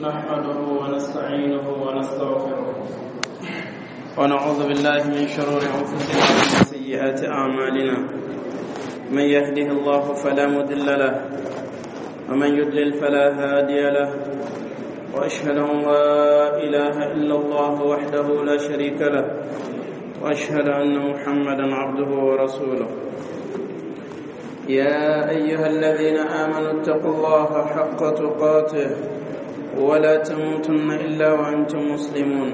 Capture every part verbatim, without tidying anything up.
نحمده ونستعينه ونستغفره ونعوذ بالله من شرور أنفسنا ومن سيئات أعمالنا. من يهده الله فلا مضل له ومن يضلل فلا هادي له، وأشهد أن لا إله إلا الله وحده لا شريك له، وأشهد أن محمدا عبده ورسوله. يا أيها الذين آمنوا اتقوا الله حق تقاته ولا تموتن إلا وأنتم مسلمون.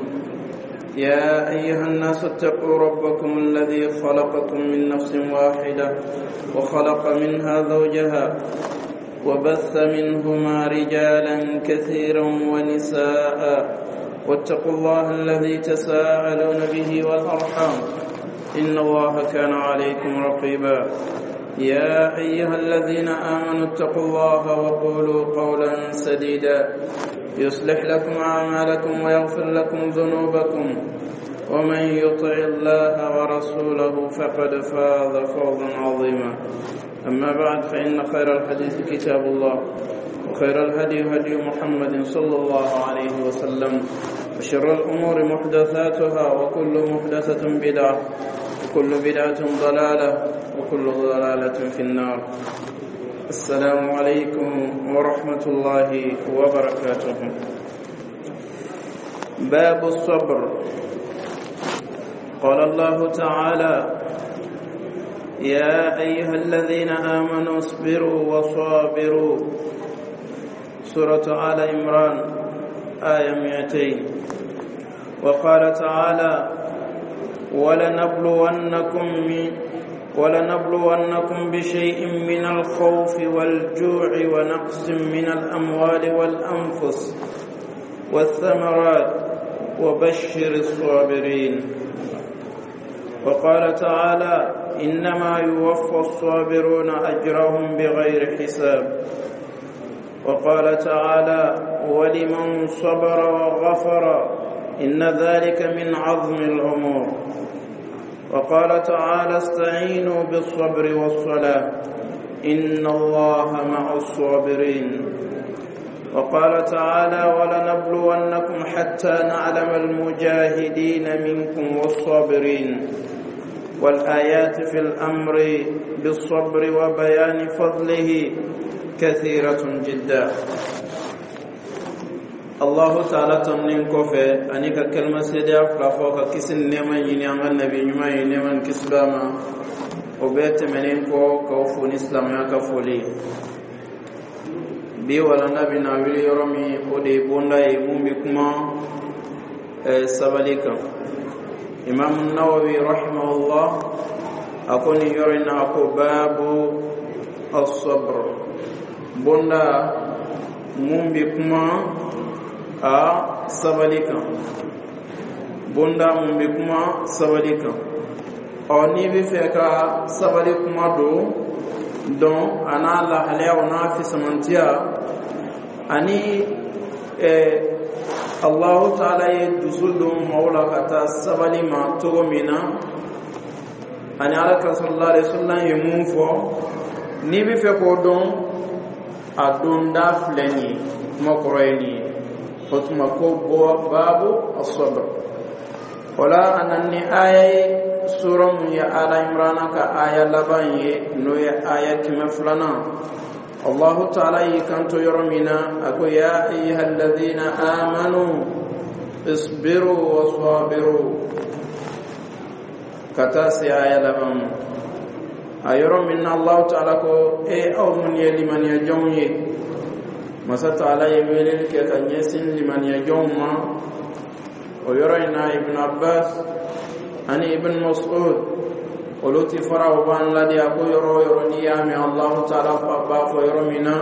يا أيها الناس اتقوا ربكم الذي خلقكم من نفس واحدة وخلق منها زوجها وبث منهما رجالا كثيرا ونساء، واتقوا الله الذي تساءلون به والأرحام إن الله كان عليكم رقيبا. يا أيها الذين آمنوا اتقوا الله وقولوا قولا سديدا يصلح لكم أعمالكم ويغفر لكم ذنوبكم، ومن يطع الله ورسوله فقد فاز فوزا عظيما. أما بعد، فإن خير الحديث كتاب الله، وخير الهدي هدي محمد صلى الله عليه وسلم، وشر الأمور محدثاتها، وكل محدثة بدعة، وكل بدعة ضلالة، وكل ضلالة في النار. السلام عليكم ورحمة الله وبركاته. باب الصبر. قال الله تعالى: يا أيها الذين آمنوا اصبروا وصابروا، سورة آل عمران آية مئتين. وقال تعالى: ولنبلونكم من ولنبلونكم بشيء من الخوف والجوع ونقص من الأموال والأنفس والثمرات وبشر الصابرين. وقال تعالى: إنما يوفى الصابرون أجرهم بغير حساب. وقال تعالى: ولمن صبر وغفر إن ذلك من عظم الأمور. وقال تعالى: استعينوا بالصبر والصلاة إن الله مع الصابرين. وقال تعالى: ولنبلونكم حتى نعلم المجاهدين منكم والصابرين. والآيات في الأمر بالصبر وبيان فضله كثيرة جدا. Allahu taala tɔnnin kɔfɛ ani ka kalima seedeya fila fɔ ka kisi ni nɛɛma ɲini an ka nabi ɲuman ye, nɛɛma ni kisi b'a ma. O bɛɛ tɛmɛnen kɔ, k'aw fo ni silamɛya ka foli. Bi walanda bɛna wuli yɔrɔ min, o de ye bonda ye mun bɛ kuma sabali kan. Imam Nawawi rahimahullah a ko nin yɔrɔ in na, a ko: babu as-sabr, bonda mun bɛ kuma a sabali kan, bonda mun bɛ kuma sabali kan. Ɔ, n'i bɛ fɛ ka sabali kuma don dɔn, a n'a lahalayaw n'a fisamantiya, ani ɛɛ Allahu taala ye dusu don maaw la ka taa sabali ma cogo min na, ani Ala ka sallallahu alaihi wasallam ye mun fɔ, n'i bɛ fɛ k'o dɔn, a donda filɛ nin ye. Kuma kɔrɔ ye nin ye. O tuma ko babu as-sabr. O la, a nana ni aya ye, sura mun ye Ala Imrana ka aya laban ye, n'o ye aya kɛmɛ filanan. Allahu taala y'i kanto yɔrɔ min na, a ko: ya ayyuha alladhina amanu isbiru wa sabiru, ka taa se aya laban ma. A yɔrɔ min na Allahu taala ko: e aw mun ye limaniya jɔnw ye, masa taala ye weleli kɛ ka ɲɛsin limaniya jɔnw ma. O yɔrɔ in na, Ibn Abbas ani Ibn Mas'ud, olu ti fara, o b'an ladi. A ko yɔrɔ o yɔrɔ n'i y'a mɛn Allahu taala b'a fɔ yɔrɔ min na: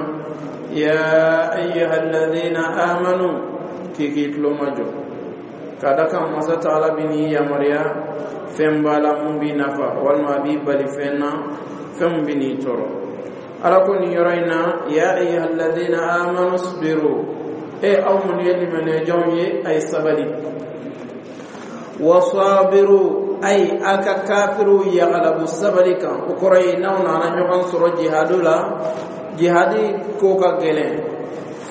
ya ayyuha alladhina amanu, k'i k'i tulo majɔ, ka da kan masa taala bi n'i yamaruya fɛn b'a la mun b'i nafa, walima a b'i bali fɛn na, fɛn mun bɛ n'i tɔɔrɔ. Ala ko nin yɔrɔ in na: ya ayyuha alladhina amanu isbiru, e aw mun ye limaniya jɔnw ye, a ye sabali, wasabiru, ay a ka kafiriw yagalabu sabali kan. O kɔrɔ ye, n'aw nana ɲɔgɔn sɔrɔ jihadu la, jihadi ko ka gɛlɛn,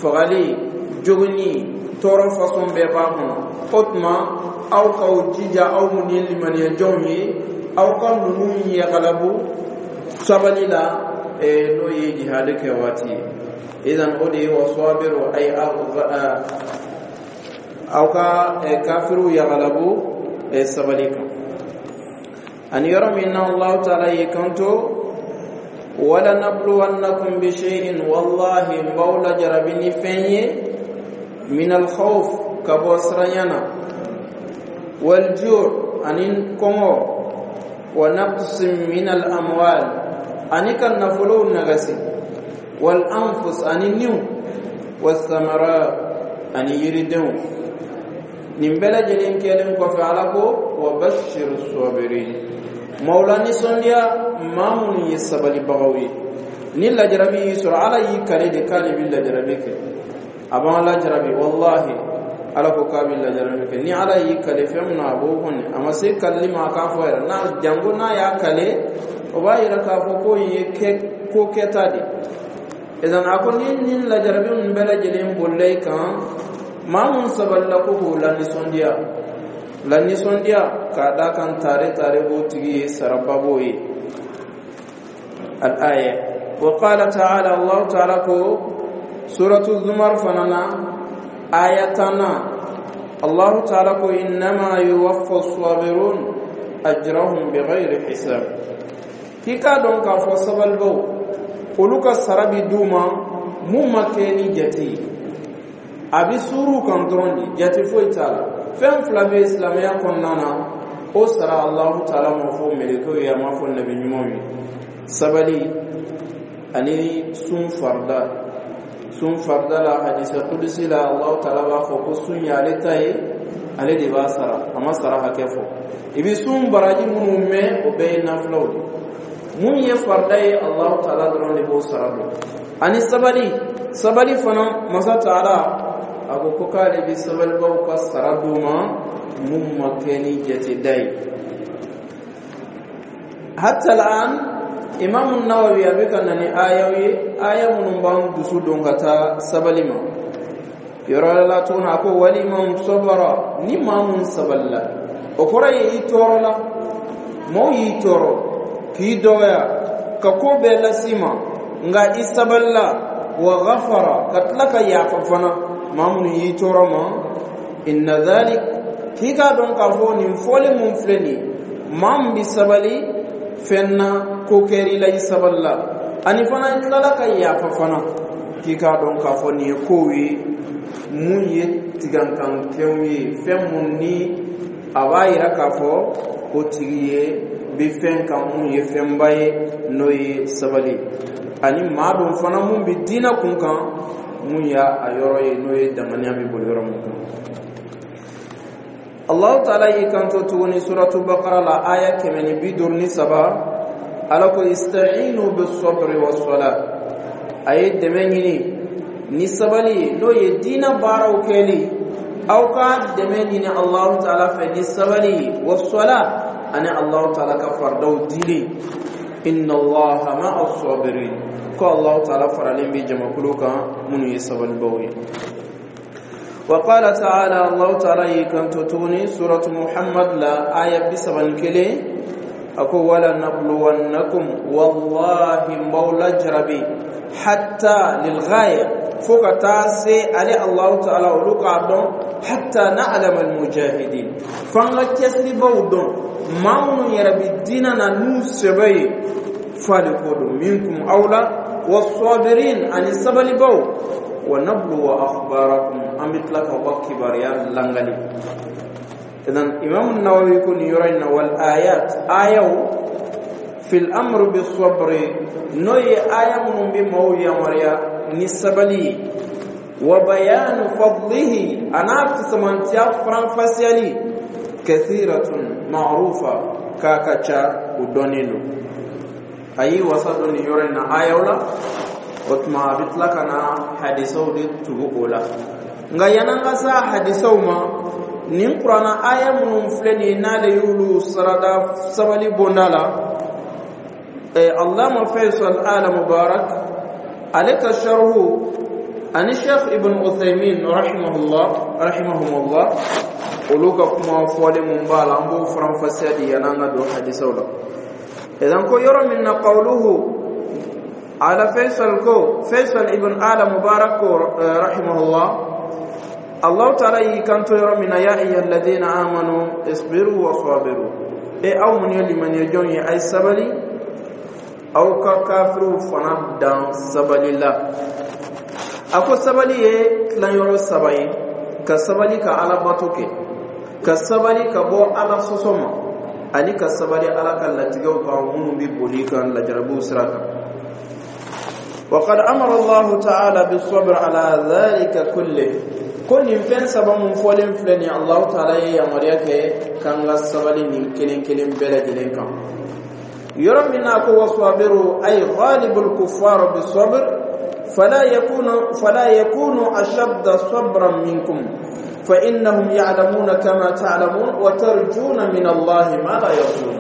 fagali Jogini, tɔɔrɔ fasɔn bɛɛ b'a kɔnɔ. O tuma, aw k'aw jija, aw minnu ye limaniya jɔnw ye, aw ka ninnu yagalabu sabali la, n'o ye jihadi kɛ waati ye. Idan, o de ye wasabiru, ay aw ka kafiriw yagalabu sabali kan. Ani yɔrɔ min na Allahu taala y'i kanto: wala nabluwannakum bi shay'in, wallahi n b'aw lajarabi ni fɛn ye, min alkhawf, ka bɔ siranya na, walju' ani kɔngɔ, wa naqsin min al amwal, ani ka nafolow nagasi, wal anfus, ani niw, wasamarat, ani yiridenw. Nin bɛɛ lajɛlen kɛlen kɔfɛ, Ala ko: wa bashir sabirin, maaw la nisɔndiya, maa minnu ye sabalibagaw ye. Ni lajarabi y'i sɔrɔ, Ala y'i kale de k'ale bɛ lajarabi kɛ, a b'an lajarabi. Wallahi, Ala ko k'a bɛ lajarabi kɛ. Ni Ala y'i kale fɛn min na, a b'o kɔni, a ma se kalili ma, a k'a fɔ yɛrɛ n'a janko n'a y'a kale, o b'a yira k'a fɔ ko in ye kɛ ko kɛta de. Idan, a ko ni nin lajarabi ninnu bɛɛ lajɛlen bolila i kan, maa mun sabalila, ko k'o la nisɔndiya, la nisɔndiya, k'a d'a kan tare tare b'o tigi ye, saraba b'o ye. Al-aya. Wa qala ta'ala, Allah ta'ala ko suratu Zumar fana na, aya tanna, Allah ta'ala ko: innama yuwaffa as-sabirun ajrahum bighayri hisab. K'i k'a dɔn k'a fɔ sabalibaw, olu ka sara bi d'u ma mun ma kɛ ni jate ye, a bɛ suuru kan dɔrɔn de, jate foyi t'a la. Fɛn fila bɛ silamɛya kɔnɔna na, o sara Alahu taala ma fɔ mɛlɛkɛw ye, a ma fɔ nabi ɲumanw ye: sabali ani sun farida. Sun farida la, hadisa kudusi la, Alahu taala b'a fɔ ko sun ye ale ta ye, ale de b'a sara, a ma sara hakɛ fɔ. I bɛ sun baraji minnu mɛn, o bɛɛ ye nafilaw de. Mun ye farida ye, Alahu taala dɔrɔn de b'o sara dɔn. Ani sabali, sabali fana, masa taala a ko ko k'ale bɛ sabalibaw ka sara d'u ma mun ma kɛ ni jateda ye. Hatta al'an, Imam Nawawi a bɛ ka na ni ayaw ye, aya minnu b'an dusu don ka taa sabali ma. Yɔrɔ la tuguni, a ko: waliman sabara, ni maa mun sabalila, o kɔrɔ ye i tɔɔrɔ la, maaw y'i tɔɔrɔ, k'i dɔgɔya, ka ko bɛɛ las'i ma, nka i sabalila, wa ghafara, ka tila ka yafa fana maa minnu y'i tɔɔrɔ ma, inna dhalik, k'i k'a dɔn k'a fɔ nin fɔli mun filɛ nin ye, maa min bɛ sabali fɛn na, ko kɛr'i la, i sabalila, ani fana i tilala ka yafa fana, k'i k'a dɔn k'a fɔ nin ye kow ye mun ye tigankankɛw ye, fɛn mun ni a b'a yira k'a fɔ o tigi ye bɛ fɛn kan mun ye fɛnba ye, n'o ye sabali, ani maa dun fana mun bɛ diinɛ kun kan, mun y'a a yɔrɔ ye, n'o ye danganiya bɛ boli yɔrɔ mun kan. Allahu taala y'i kanto tuguni suratu Bakara la, aya kɛmɛ ni bi duuru ni saba, Ala ko: ista'inu bis sabri was salat, a ye dɛmɛ ɲini ni sabali ye, n'o ye diinɛ baaraw kɛli. Aw ka dɛmɛ ɲini Allahu taala fɛ ni sabali ye, was salat, ani Allahu taala ka faridaw dili. Inna Allaha ma'a sabirin, ko Allahu taala faralen bɛ jamakulu kan minnu ye sabalibaw ye. وقال تعالى، الله تعالى يكن توني سورة محمد لا آية بسبن كلي، أكو: ولا نبلونكم، والله مولا جربي، حتى للغاية، فوق تاسي علي الله تعالى ولوك عبدون، حتى نعلم المجاهدين، فانغا كسري بودون ما يربي ديننا نو سبي فالكودو منكم أولى والصابرين أن السبل بو ونبلو أخباركم، أم بتلك وكباريا لانغالي. إذن، إمام النووي يكون يرين: والآيات، آية في الأمر بالصبر، نوي آية من بمو يمريا نسبلي، وبيان فضله، أنا سمانتيا فرانفاسيالي، كثيرة معروفة، كاكاتشا ودونيلو أي وصدني يرين آية ولا. O tuma, a bɛ tila ka na hadisaw de tugu o la. Nka yan'an ka se hadisaw ma, nin kuranna aya minnu filɛ nin ye, n'ale y'olu sarada sabali bonda la, Allama Faisal Ala Mubarak, ale ka sharhu Ani Sheikh Ibn Uthaymin rahimahullah, rahimahumullah, olu ka kuma fɔlen mun b'a la, an b'o faranfasiya di yan'an ka don hadisaw la. Idan ko yɔrɔ min na, qawluhu ala Faisal, ko Faisal ibn Ala Mubarak ko rahimahullah, Allah Ta'ala y'i kanto yɔrɔ min na: "Ya ayyuha alladhina amanu isbiru wa sabiru", e aw mun ye limaniya jɔn ye, a ye sabali, aw ka kafiriw fana dan sabali la. A ko sabali ye tilanyɔrɔ saba ye: ka sabali ka Alabato kɛ, ka sabali ka bɔ Ala sɔsɔ ma, ani ka sabali Ala ka latigɛw kan minnu bɛ boli kan lajarabiw sira kan. وقد أمر الله تعالى بالصبر على ذلك كله. Ko nin fɛn saba mun fɔlen filɛ nin, Allahu Ta'ala ye yamaruya kɛ k'an ka sabali nin kelen kelen bɛɛ lajɛlen kan. Yɔrɔ min na ko وصابروا أي غالبوا الكفار بالصبر فلا يكون فلا يكون أشد صبرا منكم، فإنهم يعلمون كما تعلمون وترجون من الله ما لا يرجون.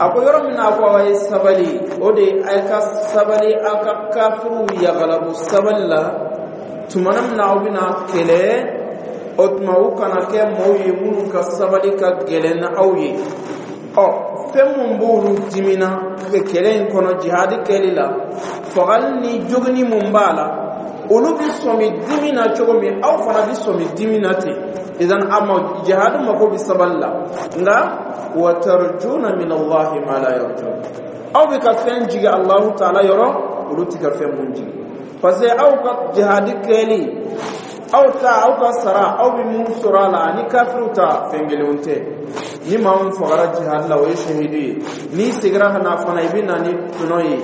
A ko yɔrɔ min na ko aw ye sabali, o de ye ka sabali aw ka kafiriw yagalabu sabali la. Tuma min na aw bɛna kɛlɛ, o tuma u kana kɛ maaw ye minnu ka sabali ka gɛlɛn ni aw ye. Ɔ fɛn mun b'olu dimina kɛlɛ in kɔnɔ, jihadi kɛli la, fagali ni jogini mun b'a la, olu bɛ sɔmi dimi na cogo min, aw fana bɛ sɔmi dimi na ten. Idan a ma jihadi mako bɛ sabali la, nka وترجون من الله ما لا يرجون, aw bɛ ka fɛn jigi Allahu Ta'ala yɔrɔ, olu tɛ ka fɛn mun jigi, parce que aw ka jihadi kɛli, aw ta, aw ka sara, aw bɛ mun sɔrɔ a la, ani kafiriw ta fɛn kelenw tɛ. Ni maa min fagara jihadi la, o ye shahidu ye. N'i seginna ka na fana, i bɛ na ni tɔnɔ ye,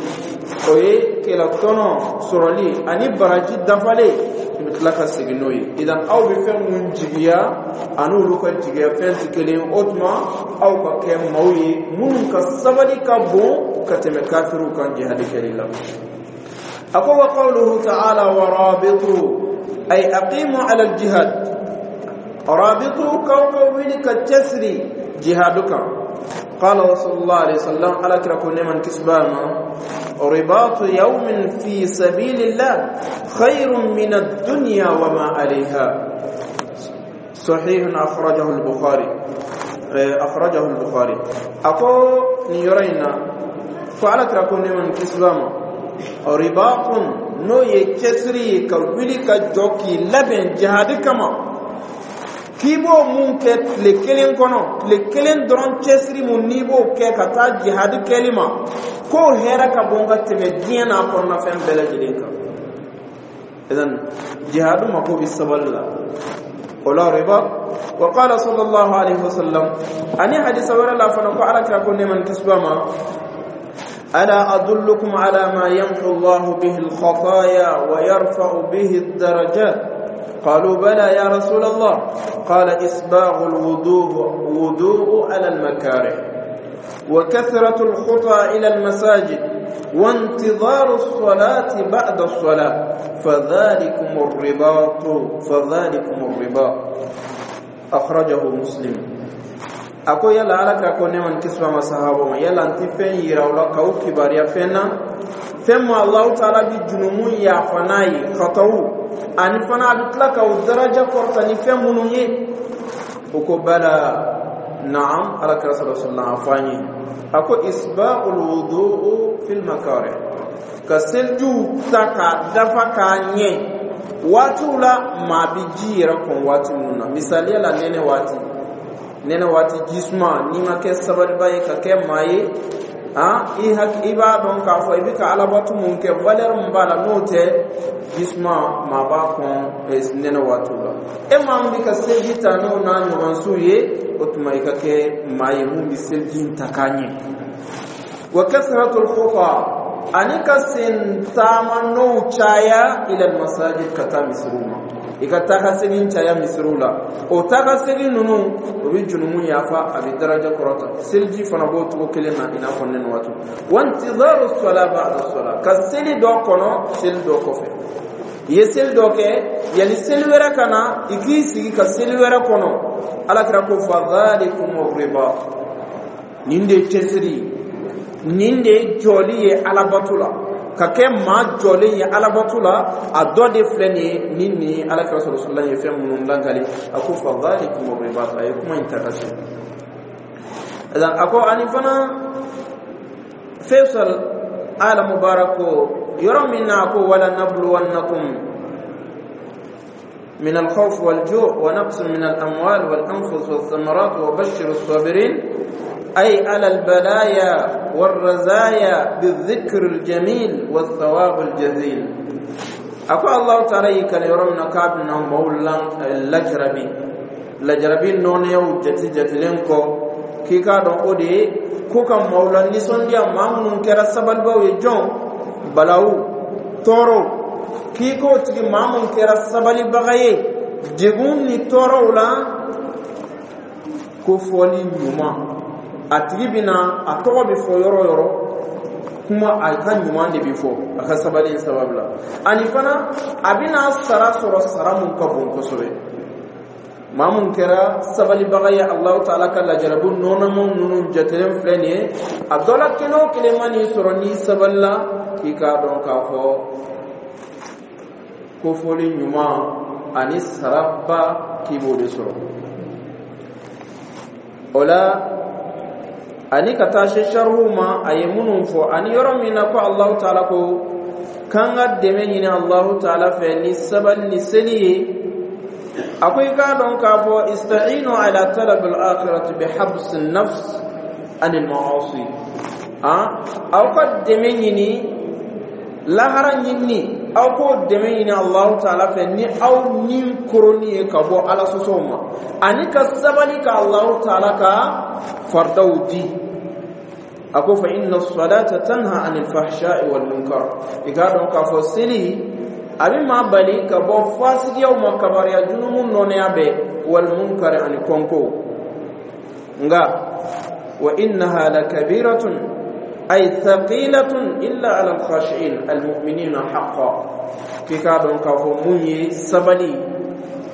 o ye kɛlɛ tɔnɔ sɔrɔli ani baraji dafalen, i bɛ tila ka segin n'o ye. Idan aw bɛ fɛn mun jigiya ani olu ka jigiya fɛn tɛ kelen ye. O tuma aw ka kɛ maaw ye minnu ka sabali ka bon ka tɛmɛ kafiriw kan jihadi kɛli la. A ko وقوله تعالى ورابطوا أي أقيموا على الجهاد. رابطوا, k'aw ka wuli ka cɛsiri jihadu kan. قال رسول الله عليه وسلم, على كركم نعم كسبانا: رباط يوم في سبيل الله خير من الدنيا وما عليها. صحيح، أخرجه البخاري، أخرجه البخاري. أكو نيورينا فعلى كركم نعم كسبانا: رباط n'o ye cɛsiri ye, ka wuli ka jɔ k'i labɛn jihadi kama, k'i b'o mun kɛ tile kelen kɔnɔ, tile kelen dɔrɔn cɛsiri mun n'i b'o kɛ ka taa jihadi kɛli ma, k'o hɛrɛ ka bon ka tɛmɛ diɲɛ n'a kɔnɔnafɛn bɛɛ lajɛlen kan. Idan jihadu mako bɛ sabali la, o la riba. وقال صلى الله عليه وسلم, ani hadisa wɛrɛ la fana, ko Ala kira ko nɛɛma ni kisi b'a ma: ألا أدلكم على ما يمحو الله به الخطايا ويرفع به الدرجات؟ قالوا: بلى يا رسول الله. قال: إسباغ الوضوء وضوء على المكاره، وكثرة الخطى إلى المساجد، وانتظار الصلاة بعد الصلاة، فذلكم الرباط، فذلكم الرباط. أخرجه مسلم. A ko yala, Ala kira ko nɛɛma ni kisi b'a ma sahaba ma, yala n ti fɛn yira o la k'aw kibaruya fɛn na, fɛn ma Allahu Taala bi junumu yafa n'a ye, khatawu, ani fana a bɛ tila k'aw daraja kɔrɔta ni fɛn minnu ye? O ko: bala, naam, Ala kira sallallahu alaihi wasallam, a fɔ an ye. A ko إسباغ الوضوء في المكاره, ka selijiw ta k'a dafa k'a ɲɛ waatiw la maa bi ji yɛrɛ kɔn waati minnu na. Misaliya la, nɛnɛ waati, nɛnɛ waati ji suma, n'i ma kɛ sabaliba ye ka kɛ maa ye, han, i hak i b'a dɔn k'a fɔ i bɛ ka Alabatu mun kɛ, valeur mun b'a la, n'o tɛ ji suma, maa b'a kɔn nɛnɛ waatiw la. E maa min bɛ ka seliji ta n'o n'a ɲɔgɔnsiw ye, o tuma i ka kɛ maa ye mun bɛ seliji in ta k'a ɲɛ. وكثرة الخطى, ani ka sen taama n'o caya, إلى المساجد, ka taa misiriw ma, i ka taa ka segin caya misiriw la. O taa ka segin ninnu, o bɛ junumu yafa, a bɛ daraja kɔrɔta. Seliji fana b'o cogo kelen na, i n'a fɔ nɛnɛ waati. وانتظار الصلاة بعد الصلاة, ka seli dɔ kɔnɔ seli dɔ kɔfɛ. I ye seli dɔ kɛ, yanni seli wɛrɛ ka na, i k'i sigi ka seli wɛrɛ kɔnɔ. Ala kira ko: فذلكم الرباط. Nin de ye cɛsiri ye, nin de ye jɔli ye Alabato la. Ka kɛ maa jɔlen ye alabato la, a dɔ de filɛ nin ye. Ni nin Ala kira sɔrɔ sɔrɔ ye fɛn minnu lakali, a ko fa dhalikum ribat. A ye kuma in ta ka se a ko ani fana Faisal Ala Mubarak ko yɔrɔ min na, a ko wala nabluwannakum من الخوف والجوع ونقص من الأموال والأنفس والثمرات وبشر الصابرين، أي على البلايا والرزايا، بالذكر الجميل والثواب الجزيل. أقول الله تعالى كان يرمنا كابنا مولا لجربي لجربي نونيو جتي جتلينكو k'i k'a dɔn o de ye ko ka maaw la nisɔndiya, maa minnu kɛra sabalibaw ye jɔn balawu tɔɔrɔw, k'i k'o tigi maa mun kɛra sabalibaga ye degun ni tɔɔrɔw la, ko fɔli ɲuman, a tigi bɛna a tɔgɔ bɛ fɔ yɔrɔ o yɔrɔ, kuma a ka ɲuman de bɛ fɔ a ka sabali in sababu la. Ani fana a bɛna sara sɔrɔ, sara mun ka bon kosɛbɛ. Maa mun kɛra sabalibaga ye Alahu Taala ka lajarabu nɔnɔmaw ninnu jatelen filɛ nin ye, a dɔ la kelen o kelen ma n'i sɔrɔ n'i sabalila, k'i k'a dɔn k'a fɔ kofɔli ɲuman ani saraba k'i b'o de sɔrɔ o la. Ani ka taa se sarihu ma, a ye minnu fɔ, ani yɔrɔ min na ko Alahu Taala ko k'an ka dɛmɛ ɲini Alahu Taala fɛ ni sabali ni seli ye, a ko i k'a dɔn k'a fɔ ista'inu ala talab al-akhirati bi habs an-nafs an al-ma'asi. Aw ka dɛmɛ ɲini lahara ɲini, aw k'o dɛmɛ ɲini Alahu Taala fɛ ni aw ni koroni ye ka bɔ Ala sɔsɔw ma, ani ka sabali ka Alahu Taala ka faridaw di. A ko fa inna as-salata tanha anil fahsha'i wal munkar. I k'a dɔn k'a fɔ seli a bɛ maa bali ka bɔ fasigiyaw ma, kabariya junumu nɔnɛya bɛɛ, wal munkar, ani kɔnko. Nka wa innaha lakabiratun ay thaqilatun illa ala al-khashi'in al-mu'minina haqqan. K'i k'a dɔn k'a fɔ mun ye sabali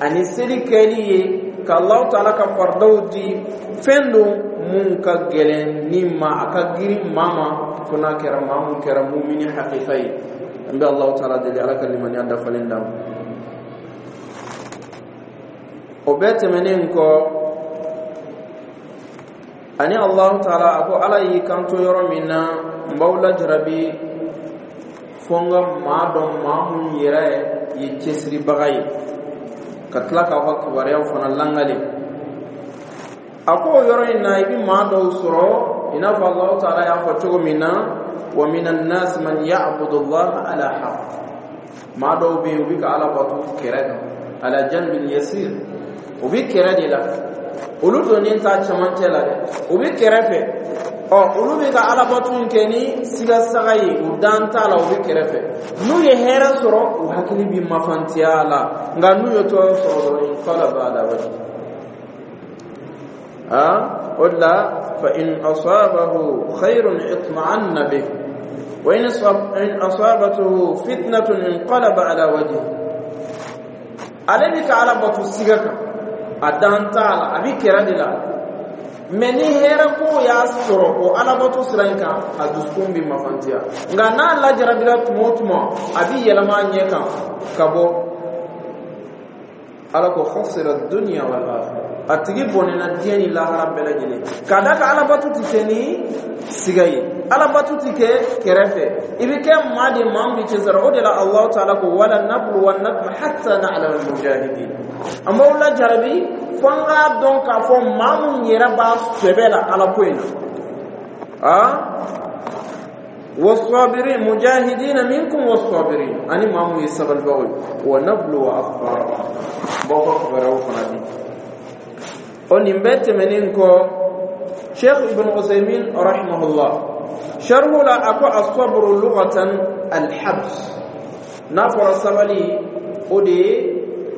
ani seli kɛli ye ka Allahu Taala ka faridaw di, fɛn don mun ka gɛlɛn ni ma, a ka girin maa ma, fo n'a kɛra maa mun kɛra mumini hakika ye. An bɛ Allahu Taala deli, Ala ka limaniya dafalen d'an ma. O bɛɛ tɛmɛnen kɔ, ani Allahu Taala a ko Ala y'i kanto yɔrɔ min na, n b'aw lajarabi fo n ka maa dɔn maa mun yɛrɛ ye cɛsiribaga ye, ka tila k'aw ka kibaruyaw fana langale. A ko o yɔrɔ in na, i bɛ maa dɔw sɔrɔ, i n'a fɔ Allahu Taala y'a fɔ cogo min na, wa minan nas man ya'budu Allah ala harf. Maa dɔw bɛ yen, u bɛ ka Ala bato kɛrɛ kan, ala janbin yasir, u bɛ kɛrɛ de la, olu donnen t'a cɛmancɛ la dɛ, u bɛ kɛrɛfɛ. Ɔ olu bɛ ka alabato in kɛ ni sigasaga ye, u dan t'a la, u bɛ kɛrɛfɛ. N'u ye hɛrɛ sɔrɔ, u hakili bɛ mafantiya la, nka n'u ye tɔɔrɔ sɔrɔ dɔrɔn, inqalaba ala wajhi. A o de la, fa in asabahu khayrun itma'anna bih wa in asabathu fitnatun inqalaba ala wajhi. Ale bɛ ka ala bato siga kan, a dan t'a la, a bɛ kɛrɛ de la, mɛ ni hɛrɛ ko y'a sɔrɔ o alabato sira in kan, a dusukun bɛ mafantiya. Nka n'a lajarabila tuma o tuma, a bɛ yɛlɛma a ɲɛ kan ka bɔ. Ala ko khasira dunya wal akhirah, a tigi bɔnɛna diɲɛ ni lahara bɛɛ lajɛlen. K'a d'a kan alabato ti kɛ ni siga ye, alabato ti kɛ kɛrɛfɛ, i bɛ kɛ maa de maa min bɛ cɛsiri. O de la Alahu Taala ko wala nabluwannakum hatta na'lama al-mujahidin. An b'aw lajarabi fo an k'a dɔn k'a fɔ maa mun yɛrɛ b'a sɛbɛ la Ala ko in na. A والصابرين مجاهدين منكم والصابرين ani maa mun ye sabalibagaw ye, wa nabluwa akhbarakum, b'aw ka kibaruyaw fana di. O nin bɛɛ tɛmɛnen kɔ, Sheikh Ibn Usaymin rahimahullah sharhu la, a ko as-sabru lughatan al-habs. N'a fɔra sabali, o de ye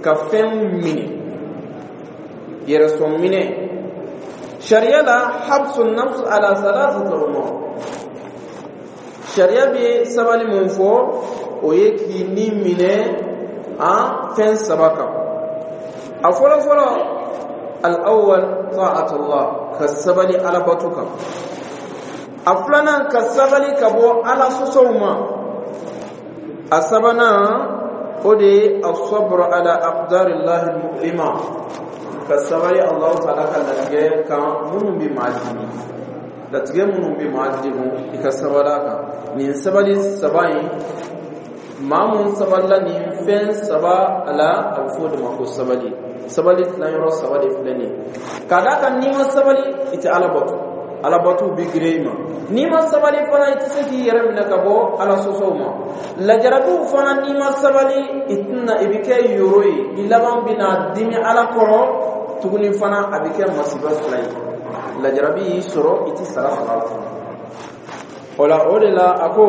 ka fɛn minɛ, yɛrɛsɔn minɛ. Sariya la, habsu nafs ala thalathati umur. Sariya bɛ sabali mun fɔ, o ye k'i ni minɛ an fɛn saba kan. A fɔlɔ fɔlɔ, al-awwal ta'atullah, ka sabali Ala bato kan. A filanan, ka sabali ka bɔ Ala sɔsɔw ma. A sabanan, o de ye الصبر على أقدار الله المؤلمة, ka sabali Allahu taala ka latigɛ kan minnu bɛ maa dimi, latigɛ minnu bɛ maa degun, i ka sabali a kan. Nin sabali saba in, maa mun sabalila nin fɛn saba la, a bɛ fɔ o de ma ko sabali. Sabali tilayɔrɔ saba de filɛ nin ye. Ka d'a kan n'i ma sabali, i tɛ Ala bato, Ala bato bɛ girin i ma. N'i ma sabali fana, i tɛ se k'i yɛrɛ minɛ ka bɔ Ala sɔsɔw ma. Lajarabiw fana, n'i ma sabali, i tɛna, i bɛ kɛ yoro ye, i laban bɛna dimi Ala kɔrɔ tuguni fana. A bɛ kɛ masiba fila ye, lajarabi y'i sɔrɔ, i tɛ sara sɔrɔ a la. O la, o de la, a ko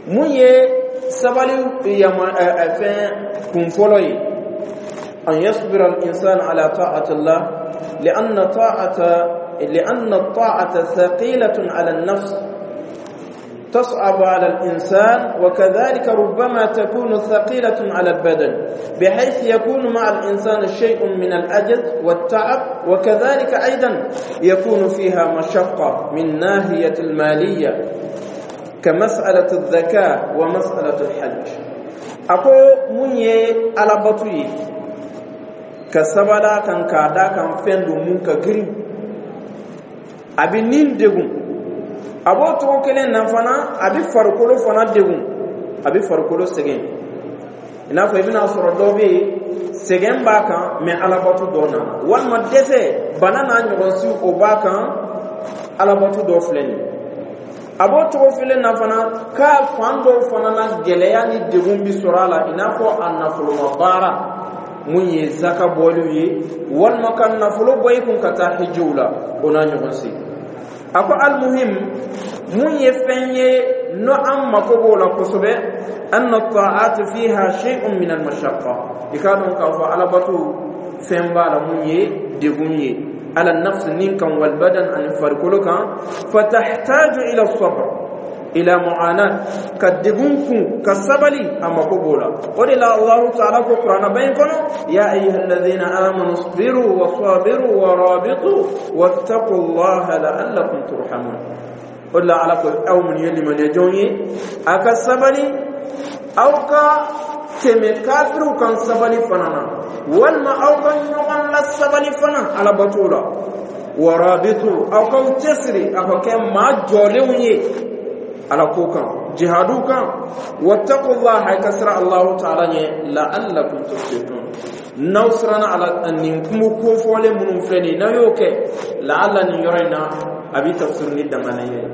mun ye sabali yama fɛn kun fɔlɔ ye? أن يصبر الإنسان على طاعة الله لأن طاعة لأن الطاعة ثقيلة على النفس، تصعب على الإنسان، وكذلك ربما تكون ثقيلة على البدن، بحيث يكون مع الإنسان شيء من العجز والتعب، وكذلك أيضا يكون فيها مشقة من ناحية المالية، كمسألة الزكاة ومسألة الحج. أقول من على بطوي كسبلا كان كادا كان فندو من كغرين a bɛ nin degun. A b'o cogo kelen na fana, a bɛ farikolo fana degun, a bɛ farikolo sɛgɛn. I n'a fɔ i bɛna sɔrɔ dɔ bɛ yen, sɛgɛn b'a kan, mɛ alabato dɔ nana, walima dɛsɛ, bana n'a ɲɔgɔn si, o b'a kan, alabato dɔ filɛ nin ye. A b'o cogo kelen na fana, k'a fan dɔw fana na, gɛlɛya ni degun bi sɔrɔ a la, i n'a fɔ a nafoloma baara mun ye zaka bɔliw ye, walima ka nafolo bɔ i kun ka taa hijiw la, o n'a ɲɔgɔn si. A ko المهم, mun ye fɛn ye n'o an mako b'o la kosɛbɛ, أن الطاعات فيها شيء من المشقة, i k'a dɔn k'a fɔ alabato fɛn b'a la mun ye degun ye, على النفس nin kan, والبدن ani farikolo kan, فتحتاج إلى الصبر، إلى معاناة, ka degun kun, ka sabali, a mako b'o la. O de la, Allahu taala ko kuranɛ ba in kɔnɔ: يا أيها الذين آمنوا اصبروا وصابروا ورابطوا واتقوا الله لعلكم ترحمون. O de la, Ala ko aw minnu ye limaniya jɔnw ye, a ka sabali, aw ka tɛmɛ kafiriw kan sabali fana na, walima aw ka ɲɔgɔn la sabali fana alabato la, ورابطوا, aw k'aw cɛsiri, aw ka kɛ maa jɔlenw ye ala ko kan, jihadu kan, واتقوا الله, ay ka siran Allahu taala ɲɛ, لعلكم تفلحون. N'aw siranna Ala, nin kungo kofɔlen minnu filɛ nin ye, n'aw y'o kɛ, لعل nin yɔrɔ in na, a bɛ tafsir ni danganiya ye,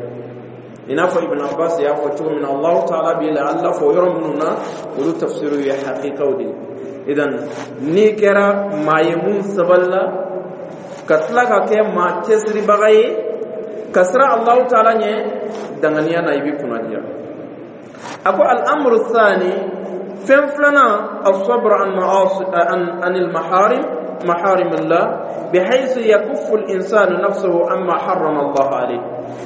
i n'a fɔ Ibn Abbas y'a fɔ cogo min na. Allahu taala bi لعل fɔ yɔrɔ minnu na, olu tafsiru ye hakikaw de ye. Idan n'i kɛra maa ye mun sabalila, ka tila ka kɛ maa cɛsiribaga ye, ka siran Allahu taala ɲɛ, danganiya na, i bɛ kunnadiya. A ko الأمر الثاني, fɛn filanan, الصبر عن معاصي عن عن المحارم محارم الله، بحيث يكف الإنسان نفسه عما حرم الله عليه،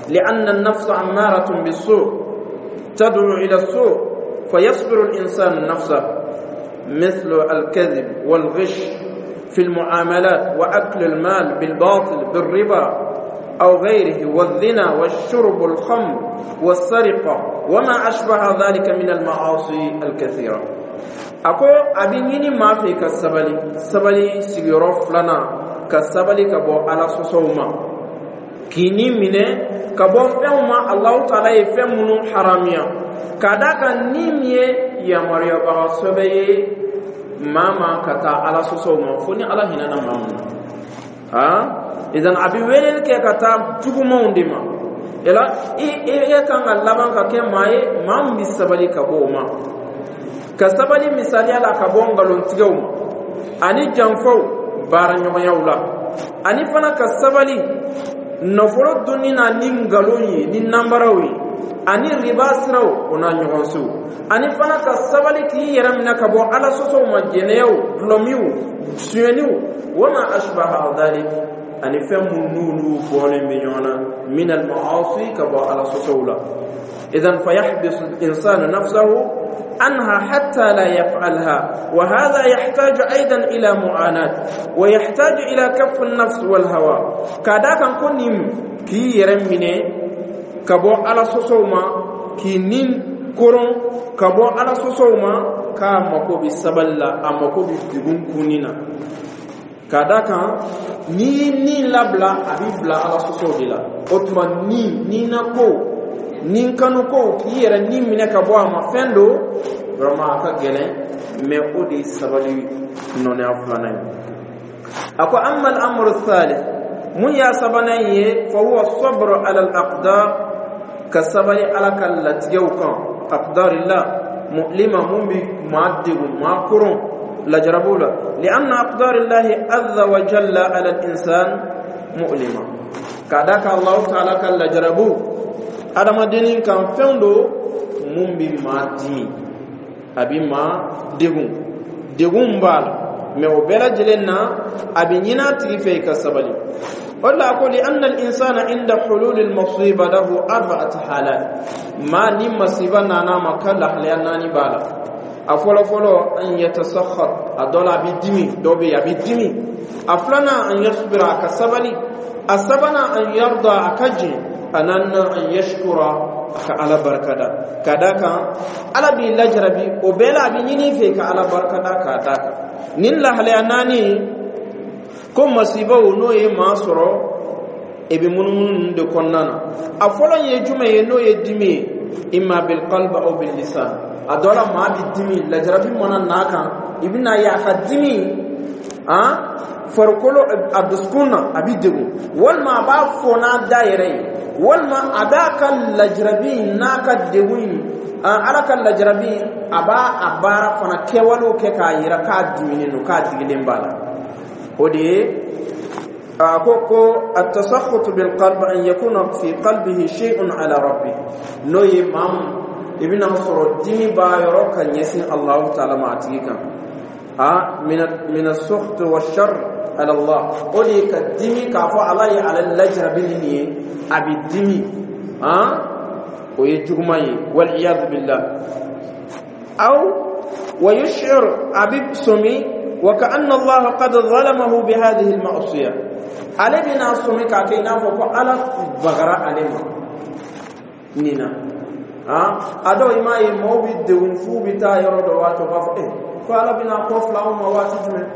لأن النفس أمارة بالسوء، تدعو إلى السوء، فيصبر الإنسان نفسه، مثل الكذب والغش في المعاملات وأكل المال بالباطل بالربا أو غيره، والزنا والشرب الخمر والسرقة وما أشبه ذلك من المعاصي الكثيرة. A ko a bɛ ɲini maa fɛ ka sabali. Sabali sigiyɔrɔ filanan, ka sabali ka bɔ Ala sɔsɔw ma, k'i ni minɛ ka bɔ fɛnw ma Alahu taala ye fɛn minnu haramiya, ka d'a kan ni min ye yamaruyabaga sɛbɛ ye maa ma ka taa Ala sɔsɔw ma, fo ni Ala hinɛna maa mun na. Han, idan a bɛ weleli kɛ ka taa jugumanw de ma. Ela i e kan ka laban ka kɛ maa ye, maa min bɛ sabali ka bɔ o ma, ka sabali misaliya la ka bɔ nkalontigɛw ma ani janfaw baara ɲɔgɔnyaw la, ani fana ka sabali nafolo dunni na ni nkalon ye, ni nanbaraw ye, ani riba siraw, o n'a ɲɔgɔn siw, ani fana ka sabali k'i yɛrɛ minɛ ka bɔ Ala sɔsɔw ma, jɛnɛyaw, dulɔmiw, suyɛniw, وما أشبه ذلك, ani fɛn mun n'olu bɔlen bɛ ɲɔgɔn na, من المعاصي, ka bɔ Ala sɔsɔw la. إذن فيحبس الإنسان نفسه عنها حتى لا يفعلها، وهذا يحتاج أيضا إلى معاناة ويحتاج إلى كف النفس والهوى. كذا كان كنيم كي يرمني كبو على سوسوما كي نين. koron ka bɔ Ala sɔsɔw ma, k'a mako bɛ sabali la, a mako bɛ degun kunni na, ka da kan n'i y'i ni labila, a b'i bila Ala sɔsɔw de la. O tuma ni ni na ko ni kanu ko k'i yɛrɛ ni minɛ ka bɔ a ma, fɛn don vraiment a ka gɛlɛn, mais o de ye sabali nɔnɔya filanan ye. A ko: amma al-amru thalith, mun y'a sabanan ye, fa huwa sabru ala al-aqdar, ka sabali Ala ka latigɛw kan, aqdarillah mu'lima, mun bi maa degun, maa koron lajarabu la, lianna aqdarillahi azza wa jalla ala al-insan mu'lima, ka da ka Allahu taala ka lajarabu adamadennin kan, fɛn do mun bi maa dimi, a bi maa degun, degun b'a la, mais o bɛɛ lajɛlen na, a bɛ ɲini a tigi fɛ i ka sabali. O de la a ko: li anna al-insana inda hulul al-musiba lahu arba'at halat, maa ni masiba nana ma, ka lahalaya naani b'a la. A fɔlɔ fɔlɔ, an yatasakhat, a dɔ la a bɛ dimi, dɔ bɛ yen a bɛ dimi. A filanan, an yasbira, a ka sabali. A sabanan, an yarda, a ka jɛn. A naaninan, an yashkura, a ka Ala barikada. Ka d'a kan Ala b'i lajarabi, o bɛɛ la a bɛ ɲini i fɛ ka Ala barikada k'a d'a kan. Nin lahalaya naani ko masibaw n'o ye maa sɔrɔ, i bɛ munumunu ninnu de kɔnɔna na. A fɔlɔ ye jumɛn ye? N'o ye dimi ye, imma bil qalbi aw bil lisan. A dɔ la maa bɛ dimi, lajarabi mana n'a kan, i bɛna ye a ka dimi han farikolo, a dusukun na a bɛ degun, walima a b'a fɔ n'a da yɛrɛ ye, walima a b'a ka lajarabi n'a ka degun in, Ala ka lajarabi, a b'a a baara fana kɛwalew kɛ k'a yira k'a diminen don, k'a digilen b'a la. O de ye a ko ko at-tasakhut bil qalb, an yakuna fi qalbihi shay'un ala rabbi, n'o ye maa mun i bɛna sɔrɔ dimi b'a yɔrɔ ka ɲɛsin Allahu taala ma a tigi kan, a min as-sukht wa shar ala Allah. O de ye ka dimi k'a fɔ Ala ye ale lajarabi ni nin ye, a bɛ dimi, han o ye juguman ye, wal iyadu billah. Aw wa yush'ir, a bɛ sɔmi, wa ka'anna Allah qad zalamahu bi hadhihi al-ma'siyah, ale bɛna sɔmi k'a kɛ i n'a fɔ ko Ala bagara ale ma nin na. A dɔw i m'a ye maaw bɛ degun f'u bɛ taa yɔrɔ dɔ waati, u b'a fɔ eh ko Ala bɛna kɔ fila anw ma waati jumɛn,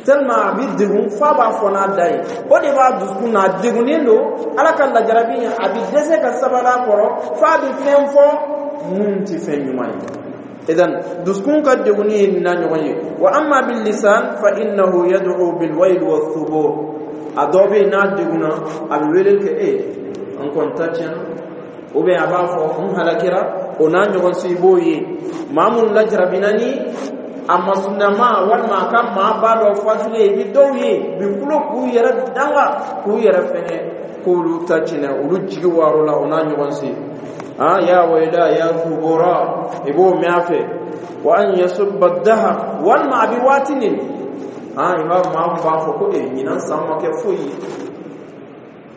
tellement a bɛ degun f'a b'a fɔ n'a da ye. O de b'a dusukun na, a degunnen don Ala ka lajarabi in, a bɛ dɛsɛ ka sabali a kɔrɔ f'a bɛ fɛn fɔ mun tɛ fɛn ɲuman ye. Idan dusukun ka degunni ye nin n'a ɲɔgɔn ye. Wa amma bil lisan fa innahu yad'u bil wayl wa thubur. A dɔ bɛ yen, n'a degunna, a bɛ wele kɛ e an kɔni ta tiɲɛna, ou bien a b'a fɔ n halakira, o n'a ɲɔgɔn si. I b'o ye maa mun lajarabina ni a masunama, walima a ka maa ba dɔ fatulen, i bɛ dɔw ye u bɛ kulo k'u yɛrɛ danga k'u yɛrɛ fɛngɛ k'olu ta tiɲɛ, olu jigi war'o la, o n'a ɲɔgɔn si, ah ya wayla ya thubura, i b'o mɛn a fɛ. Wa an yasubba dahar, walima a bɛ waati nin, ah i b'a maa mun b'a fɔ ko e ɲinan san ma kɛ foyi ye,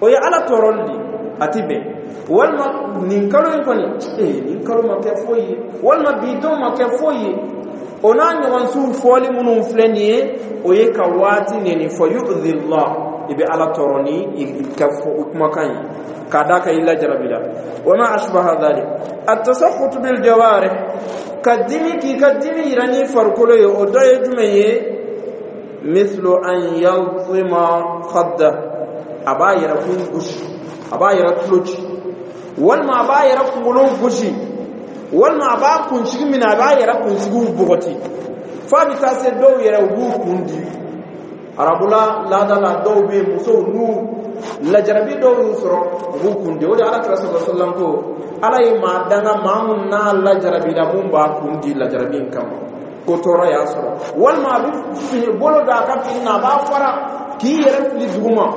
o ye Ala tɔɔrɔli de ye, a ti bɛn. Walima nin kalo in kɔni, ee nin kalo ma kɛ foyi ye, walima bi don ma kɛ foyi ye, o n'a ɲɔgɔnsiw fɔli minnu filɛ nin ye, o ye ka waati neni. Fɔ yu'dhi Allah, i bɛ Ala tɔɔrɔ ni i ka fɔ kumakan ye k'a d'a kan i lajarabi la, wa ma ashbaha dhalik. At-tasakhut bil jawarih, ka dimi k'i ka dimi yira ni farikolo ye, o dɔ ye jumɛn ye? Mithlu an yaltima khadda, a b'a yɛrɛ kun gosi, a b'a yɛrɛ tulo ci, walima a b'a yɛrɛ kunkolo gosi, walima a b'a kunsigi minɛ, a b'a yɛrɛ kunsigiw bɔgɔti, f'a bɛ taa se dɔw yɛrɛ u b'u kun di. Arabula laada la, dɔw bɛ yen, musow, n'u lajarabi dɔw y'u sɔrɔ, u b'u kun di. O de Ala kira sɔrɔ sallam ko Ala ye maa danga maa mun n'a lajarabila, mun b'a kun di lajarabi in kama, ko tɔɔrɔ y'a sɔrɔ, walima a bɛ fini bolo don a ka fini na, a b'a fara k'i yɛrɛ fili duguma,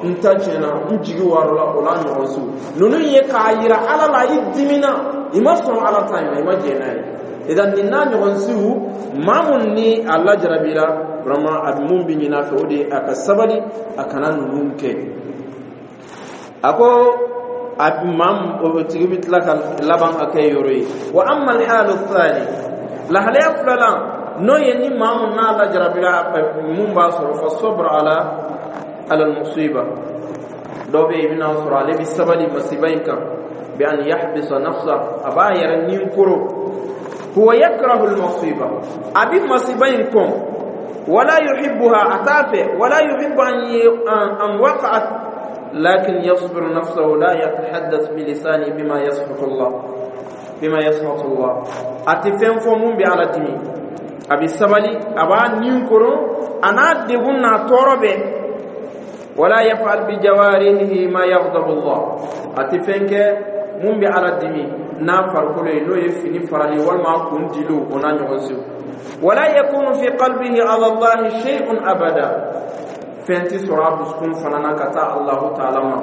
n ta tiɲɛna, n jigi warala, o la ɲɔgɔn su ninnu ye k'a yira Ala la i dimina, i ma sɔn Ala ta in na, i ma jɛn n'a ye. Idan nin n'a ɲɔgɔn siw, maa mun ni a lajarabira vraiment, a bɛ mun bɛ ɲini a fɛ, o de ye a ka sabali, a kana ninnu kɛ. A ko a maa o tigi bɛ tila ka laban ka kɛ yɔrɔ ye. Wa amma alhalu thani, lahalaya filanan, n'o ye ni maa mun n'a lajarabira, mun b'a sɔrɔ, fa sabr ala ala musiba. Dɔ bɛ yen, i bɛna sɔrɔ ale bɛ sabali masiba in kan. Bi an yahbisa nafsa, a b'a yɛrɛ nin koro. Huwa yakrahu al-masiba, a bi masiba in kɔn. Wala yuhibbuha, a t'a fɛ. Wala yuhibbu an an waqa'at, lakin yasbiru nafsahu, la yatahaddath bilisani bima yaskhatu Allah bima yaskhatu Allah A tɛ fɛn fɔ mun bɛ Ala dimi. A bɛ sabali, a b'a nin koro, a n'a degun n'a tɔɔrɔ bɛɛ. Wala yaf'al bijawarihi ma yaghdabu Allah, a tɛ fɛn kɛ mun bɛ Ala dimi n'a farikolo ye, n'o ye fini farali walima a kun diliw, o n'a ɲɔgɔn sew. Wala yakunu fi qalbihi ala Allahi shay'un abada, fɛn tɛ sɔrɔ a dusukun fana na ka taa Allahu taala ma.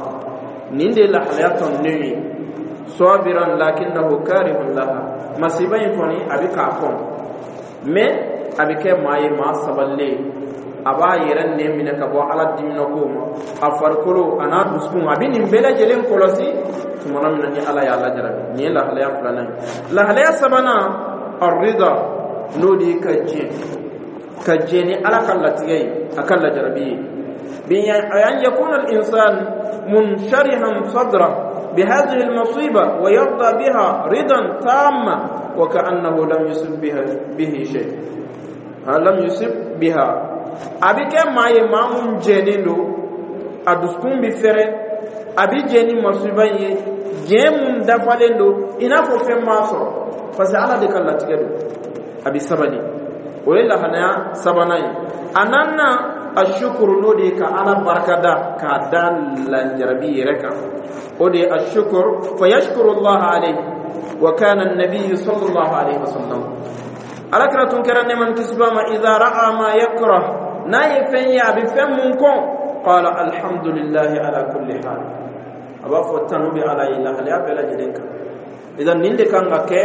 Nin de ye lahalaya tɔnnen ye. Sabiran lakinnahu karihun laha, masiba in kɔni a bɛ k'a kɔn, mais a bɛ kɛ maa ye maa sabalilen, a b'a yɛrɛ nɛn minɛ ka bɔ Ala diminako ma. A farikolo a n'a dusukun, a bɛ nin bɛɛ lajɛlen kɔlɔsi tumana min na ni Ala y'a lajarabi. Nin ye lahalaya filanan ye. Lahalaya sabanan, arrida, n'o de ye ka jɛn ka jɛn ni Ala ka latigɛ ye, a ka lajarabi ye. بأن يكون الإنسان منشرحا صدره بهذه المصيبة ويرضى بها رضا تاما، وكأنه لم يصب بها به شيء، لم يصب بها. A bɛ kɛ maa ye maa mun jɛnnen don, a dusukun bɛ fɛrɛ, a bɛ jɛn ni masiba in ye, jɛn mun dafalen don, i n'a fɔ fɛn m'a sɔrɔ, parce que Ala de ka latigɛ don. A bɛ sabali, o ye lahalaya sabanan ye. A naaninan, ashukuru, n'o de ye ka Ala barikada k'a da lajarabi yɛrɛ kan, o de ye ashukuru. Fa yashkuru Allah alayhi. Wa kana an-nabiy sallallahu alayhi wa sallam, Ala kira tun kɛra nɛɛma ni kisi b'a ma, idha ra'a ma yakrah, n'a ye fɛn ye a bɛ fɛn mun kɔn, qala alhamdulillahi ala kulli hal, a b'a fɔ tanu bɛ Ala ye lahalaya bɛɛ lajɛlen kan. Idan nin de kan ka kɛ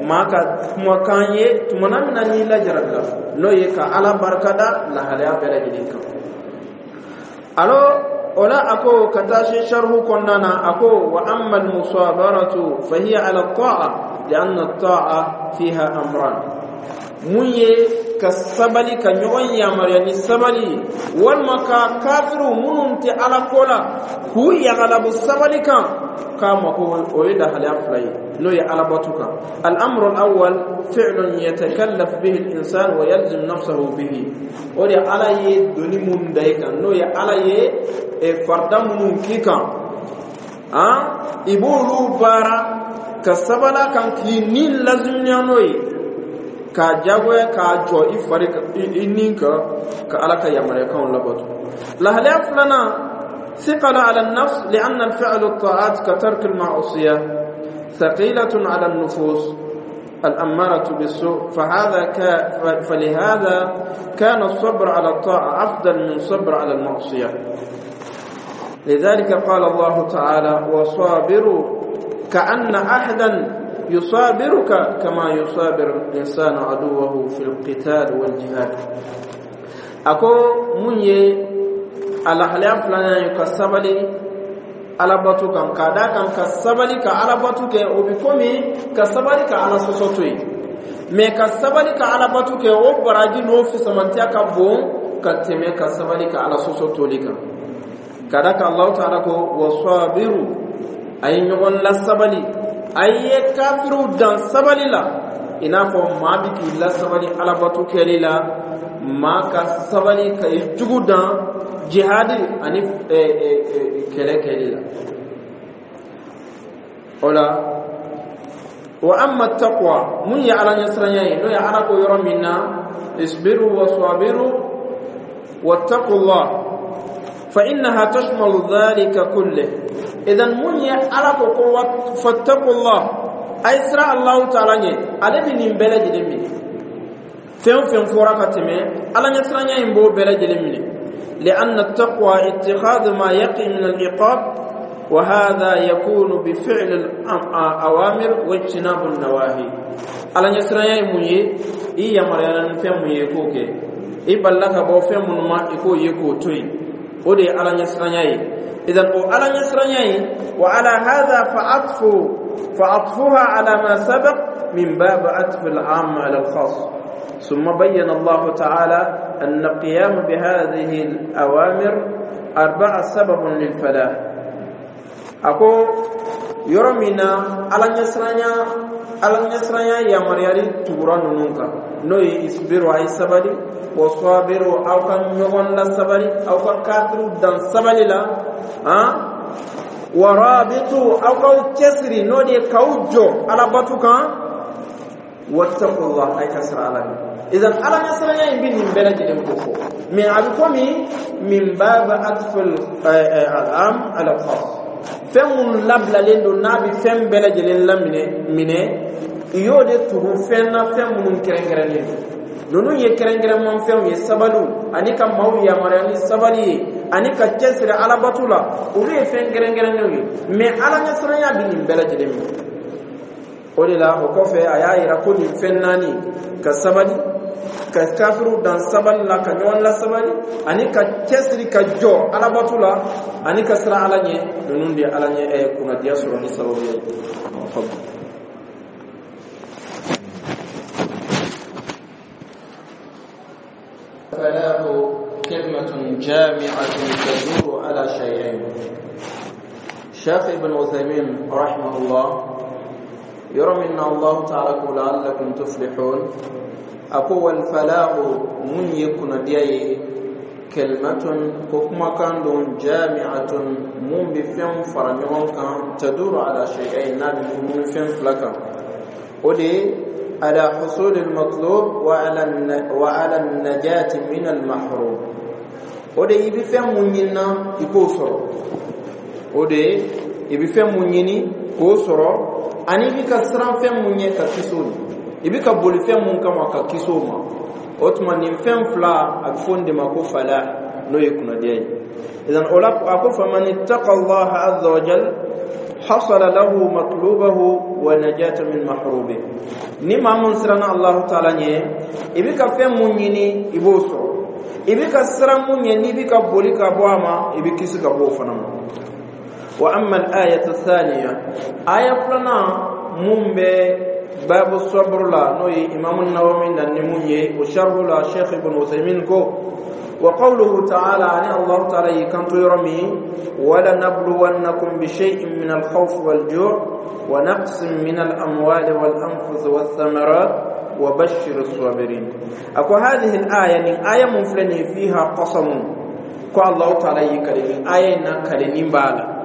maa ka kumakan ye tumana min na n'i lajarabila, n'o ye ka Ala barikada lahalaya bɛɛ lajɛlen kan. Alors o la, a ko ka taa se sharhu kɔnɔna na, a ko: wa amma almusabaratu fahiya ala ta'a lianna ta'a fiha amran. Mun ye ka sabali, ka ɲɔgɔn yamaruya ni sabali ye, walima ka kafiriw minnu tɛ Ala ko la k'u yagalabu sabali kan, k'a ma ko o ye lahalaya fila ye, n'o ye alabatu kan. Al-amru al-awwal fi'lun yatakallaf bihi al-insan wa yalzim nafsahu bihi, o de Ala ye doni mun da i kan, n'o ye Ala ye farida minnu k'i kan, han, i b'olu baara ka sabala kan k'i ni lazimiya, n'o ye k'a jagoya k'a jɔ i fari i nin kan ka Ala ka yamaruyakanw labato. Lahalaya filanan, ثقل على النفس، لأن الفعل الطاعات كترك المعصية ثقيلة على النفوس الأمارة بالسوء، فهذا ك... فلهذا كان الصبر على الطاعة أفضل من الصبر على المعصية. لذلك قال الله تعالى: وصابروا، كأن أحدا يصابرك كما يصابر الإنسان عدوه في القتال والجهاد. أكو من a lahalaya filanan ye ka sabali alabatu kan, k'a da kan ka sabali ka alabatu kɛ, o bi komi ka sabali ka Ala sɔsɔ to yen, mais ka sabali ka alabatu kɛ, o baraji n'o fisamantiya ka bon ka tɛmɛ ka sabali ka Ala sɔsɔ toli kan. Ka da kan Alahu taala ko: wasabiru, a ye ɲɔgɔn lasabali, a ye kafiriw dan sabali la, i n'a fɔ maa bi k'i lasabali alabatu kɛli la, maa ka sabali ka i jugu dan jihadi ani kɛlɛ kɛli la. O la, wa amma taqwa, mun ye Ala ɲɛsiranya ye, n'o ye Ala ko yɔrɔ min na: isbiru wa sabiru wattaqullah, fa innaha tashmalu dhalika kullih. Idan mun ye Ala ko ko fattaqullah, ay sira Allahu taala ɲɛ, ale bɛ nin bɛɛ lajɛlen minɛ. Fɛn o fɛn fɔra ka tɛmɛ, Ala ɲɛsiranya in b'o bɛɛ lajɛlen minɛ. لأن التقوى اتخاذ ما يقي من العقاب، وهذا يكون بفعل الأوامر واجتناب النواهي. Ala ɲɛsiranya ye mun ye? I yamaruyala ni fɛn mun ye, k'o kɛ. I balila ka bɔ fɛn minnu ma, i k'o ye k'o to yen, o de ye Ala ɲɛsiranya ye. Idan o Ala ɲɛsiranya ye, wa ala hadha fa atfu fa atfuha ala ma sabaq min bab atf al-am ala al-khas. ثم بين الله تعالى أن القيام بهذه الأوامر أربعة سبب للفلاح. أكو Yɔrɔ min na Ala ɲɛsiranya, Ala ɲɛsiranya yamaruyali tugura ninnu kan, n'o ye isbiru, a ye sabali, wa sabiru, aw ka ɲɔgɔn la sabali, aw ka kafiriw dan sabali la, han, wa rabitu, aw k'aw cɛsiri, n'o de ye k'aw jɔ Alabatu kan, wattaqullah, ay ka siran Ala ɲɛ. Idan Ala ɲɛsiranya in bɛ nin bɛɛ lajɛlen ko fɔ, mais a bɛ komi min baba atful al-am ala al-khas, fɛn minnu labilalen don n'a bɛ fɛn bɛɛ lajɛlen laminɛ minɛ, i y'o de tugu fɛn na, fɛn minnu kɛrɛnkɛrɛnnen don. Ninnu ye kɛrɛnkɛrɛnman fɛnw ye, sabaliw ani ka maaw yamaruya ni sabali ye ani ka cɛsiri Alabatu la, olu ye fɛn kɛrɛnkɛrɛnnenw ye. Mais Ala ɲɛsiranya bɛ nin bɛɛ lajɛlen minɛ. O de la, o kɔfɛ, a y'a yira ko nin fɛn naani, ka sabali, ka kafiriw dan sabali la, ka ɲɔgɔn la sabali, ani ka cɛsiri ka jɔ Alabatu la, ani ka siran Ala ɲɛ, ninnu de ye Ala ɲɛ ɛ kunnadiya sɔrɔ ni sababu ye. فلاح كلمة جامعة تدور على شيئين. شيخ ابن عثيمين رحمه الله يرى من الله تعالى لعلكم تفلحون. أقوى الفلاح من يكون دياي كلمة كما كان دون جامعة من بفهم فرنيون كان تدور على شيئين، نبي من فهم فلكا ودي على حصول المطلوب وعلى وعلى النجاة من المحروم. ودي يبي فهم من يكوسر، ودي يبي فهم من كوسر، ani i bɛ ka siran fɛn mun ɲɛ ka kisi o ma, i bɛ ka boli fɛn mun kama ka kisi o ma. O tuma nin fɛn fila, a bɛ fɔ nin de ma ko falah, n'o ye kunnadiya ye. Idan o la, a ko faman ittaqa Allah azza wa jal hasala lahu matlubahu wa najata min mahrube. Ni maa mun siranna Allah taala ɲɛ, i bɛ ka fɛn mun ɲini, i b'o sɔrɔ. I bɛ ka siran mun ɲɛ, n'i bɛ ka boli ka bɔ a ma, i bɛ kisi ka bɔ o fana ma. وأما الآية الثانية، آية فلنا من باب الصبر لا نوي إمام النووي نموني وشرح لا شيخ ابن عثيمين كو وقوله تعالى عن الله تعالى كنت يرمي ولنبلونكم بشيء من الخوف والجوع ونقص من الأموال والأنفس والثمرات وبشر الصابرين. أكو هذه الآية من آية منفلني فيها قسم، كو الله تعالى يكرم آية نكرم بالا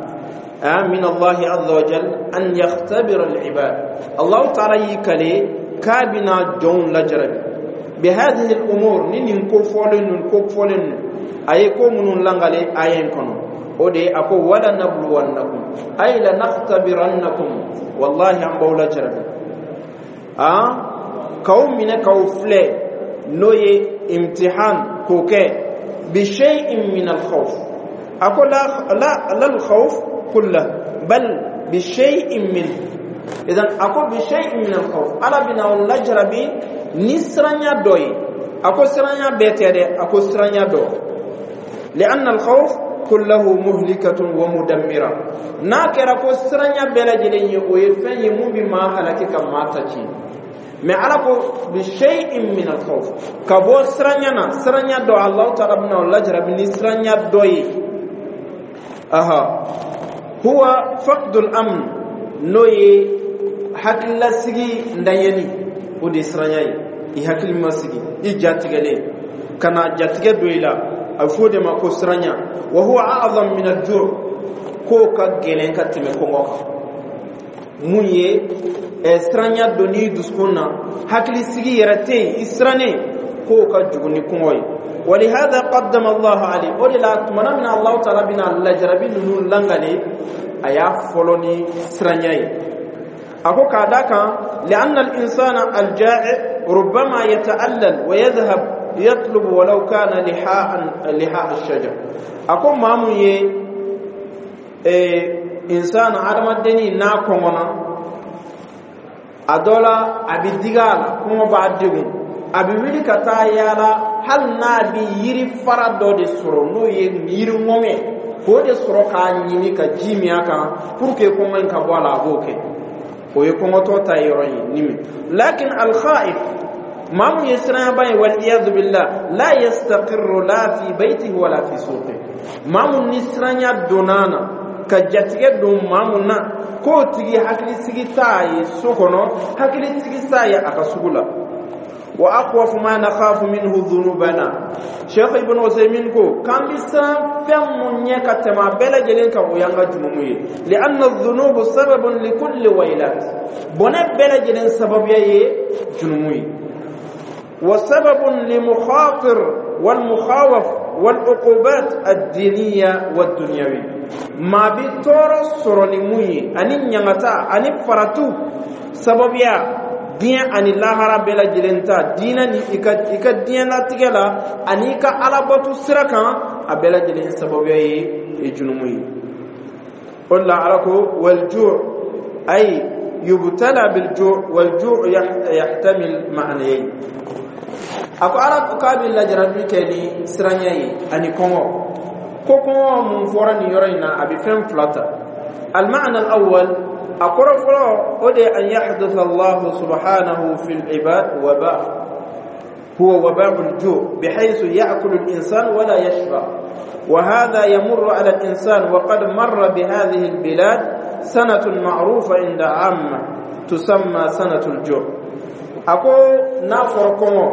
من الله عز وجل أن يختبر العباد. الله تعالى يكلي كابنا جون لجرب بهذه الأمور نين كفولن كفولن أي كومن لانغالي أين كنو ودي أكو ولا نبلونكم أي لنختبرنكم، والله أم بولا جرب آه كوم من كوفلي نوي امتحان كوكي بشيء من الخوف. أكو لا لا لا الخوف كله بل بشيء منه. إذن أقول بشيء من الخوف على بنا لجربي نسرانيا دوي، أقول سرانيا بيتيري، أقول سرانيا دو، لأن الخوف كله مهلكة ومدمرة. ناكر أقول سرانيا بلا جلين يويفين يمو بما هلكك ما تجي. mais ala ko بشيء من الخوف كبو سرانيا نا سرانيا دو، الله تعالى بنا لجربي نسرانيا دوي. أها هو فقد الأمن نوي حكل سيجي ndayeni o de siranya ye, i hakili ma sigi, i jatigɛlen kana jatigɛ don i la, a bɛ fɔ o de ma ko siranya. Wa huwa a'zam min al-ju', k'o ka gɛlɛn ka tɛmɛ kɔngɔ kan. Mun ye ɛ siranya don n'i dusukun na, hakili sigi yɛrɛ tɛ yen, i sirannen, k'o ka jugu ni kɔngɔ ye. ولهذا قدم الله عليه وللا تمنى من الله تعالى بنا لجربي نونو لانغالي ايا فولوني سرانياي. اكو كاداكا لان الانسان الجائع ربما يتألل ويذهب يطلب ولو كان لحاء لحاء الشجر. اكو مامو يه إيه انسان عدم الدني نا كونغنا adola abi digala kuma ba degun, a bɛ wuli ka taa yaala, hali n'a bɛ yiri fara dɔ de sɔrɔ, n'o ye yiri ŋɔŋɛ, k'o de sɔrɔ k'a ɲini ka ji min a kan pour que kɔngɔ in ka bɔ a la, a b'o kɛ. O ye kɔngɔtɔ ta yɔrɔ ye ni min. Lakin alkhaif, maa mun ye siranyaba ye, wal iyadu billah, la yastaqirru la fi baytihi wala fi suqi, maa mun ni siranya donna na Ka jatigɛ don maa mun na, k'o tigi hakilisigi t'a ye so kɔnɔ, hakilisigi t'a ye a ka sugu la. Wa akhwafu ma nakhafu minhu dhunubana. Cheikh Ibn Usaymin ko k'an bɛ siran fɛn mun ɲɛ ka tɛmɛ a bɛɛ lajɛlen kan, o y'an ka jurumu ye. Li'anna dhunubu sababun likulli waylat. Bɔnɛ bɛɛ lajɛlen sababuya ye jurumu ye. Wa sababun limukhatir wal mukhawaf wal uqubat ad-diniya wad dunyawi. Maa bi tɔɔrɔ sɔrɔ ni mun ye, ani ɲangata ani faratu sababuya diɲɛ ani lahara bɛɛ lajɛlen ta, diinɛ ni i ka i ka diɲɛlatigɛ la ani i ka alabatu sira kan, a bɛɛ lajɛlen sababuya ye ye junumu ye. O de la Ala ko wal ju' ay yubtala bil ju'. Wal ju' yahtamil ma'nayayn. A ko Ala ko k'a bɛ lajarabi kɛ ni siranya ye ani kɔngɔ. Ko kɔngɔ mun fɔra nin yɔrɔ in na, a bɛ fɛn fila ta. Al ma'na al awwal, a kɔrɔ fɔlɔ, o de ye an yahdutha Allahu subhanahu fil ibad waba huwa waba'u al-ju' bihaythu ya'kulu al-insan wala yashba. وهذا يمر على الإنسان، وقد مر بهذه البلاد سنة معروفة عند عامة تسمى سنة الجوع. Ako n'a fɔra kɔngɔ,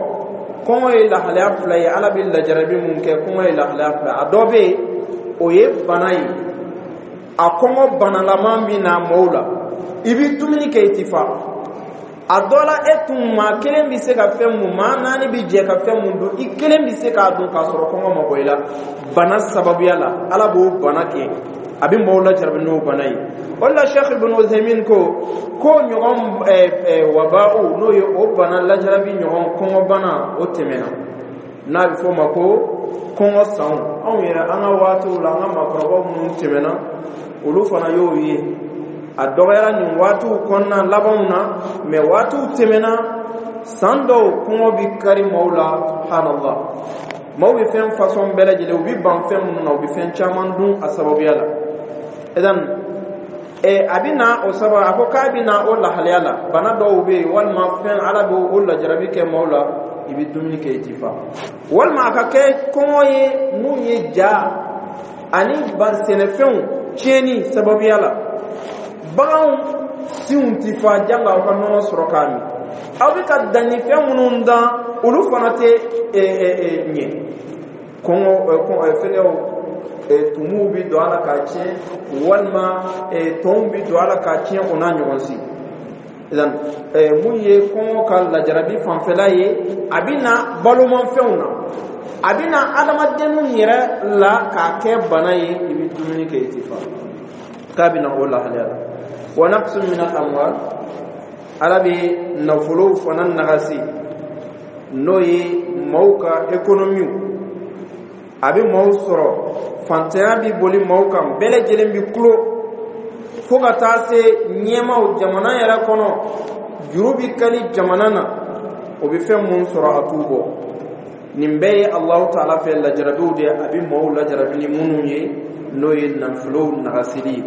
kɔngɔ ye lahalaya fila ye. Ala bɛ lajarabi mun kɛ, kɔngɔ ye lahalaya fila. A dɔ bɛ yen, o ye bana ye. A kɔngɔ banalaman bɛ na mɔɔw la, i bɛ dumuni kɛ, i ti fa. A dɔ la, e tun maa kelen bɛ se ka fɛn mun, maa naani bɛ jɛ ka fɛn mun dun, i kelen bɛ se k'a dun k'a sɔrɔ kɔngɔ ma bɔ i la. Bana sababuya la, Ala b'o bana kɛ, a bɛ maaw lajarabi n'o bana ye. O de la Sheikh Ibn Uthaymin ko ko ɲɔgɔn waba'u, n'o ye o bana lajarabi ɲɔgɔn kɔngɔbana, o tɛmɛna, n'a bɛ fɔ o ma ko kɔngɔ sanw. Anw yɛrɛ, an ka waatiw la, an ka maakɔrɔbaw minnu tɛmɛna, olu fana y'o ye. A dɔgɔyara nin waatiw kɔnɔna labanw na, mɛ waatiw tɛmɛna, san dɔw kɔngɔ bɛ kari maaw la. Subhanallah, maaw bɛ fɛn fasɔn bɛɛ lajɛlen, u bɛ ban fɛn minnu na, u bɛ fɛn caman dun a sababuya la. Idan a bɛ na o sababu, a ko k'a bɛ na o lahalaya la, bana dɔw bɛ yen walima fɛn, Ala bɛ o lajarabi kɛ maaw la, i bɛ dumuni kɛ, i ti fa. Walima a ka kɛ kɔngɔ ye mun ye, ja ani sɛnɛfɛnw tiɲɛni sababuya la, baganw sinw ti fa, janga aw ka nɔnɔ sɔrɔ k'a min. Aw bɛ ka dannifɛn minnu dan, olu fana tɛ ɲɛ. Kɔngɔ, fɛngɛw, tumuw bɛ don a la k'a tiɲɛ, walima tɔnw bɛ don a la k'a tiɲɛ, o n'a ɲɔgɔn si. Idan mun ye kɔngɔ ka lajarabi fanfɛla ye, a bɛ na balomafɛnw na, a bɛ na adamadenninw yɛrɛ la k'a kɛ bana ye, i bɛ dumuni kɛ, i ti fa. K'a bɛ na o lahalaya la. Wa naqsun min al amwal. Ala bɛ nafolow fana nagasi, n'o ye maaw ka économie. A bɛ maaw sɔrɔ, fantanya bɛ boli maaw kan, bɛɛ lajɛlen bɛ kulo, fo ka taa se ɲɛmaw jamana yɛrɛ kɔnɔ, juru bɛ kali jamana na, o bɛ fɛn mun sɔrɔ, a t'u bɔ. Nin bɛɛ ye Alahu taala fɛ lajarabiw de ye, a bɛ maaw lajarabi ni minnu ye, n'o ye nafolow nagasili ye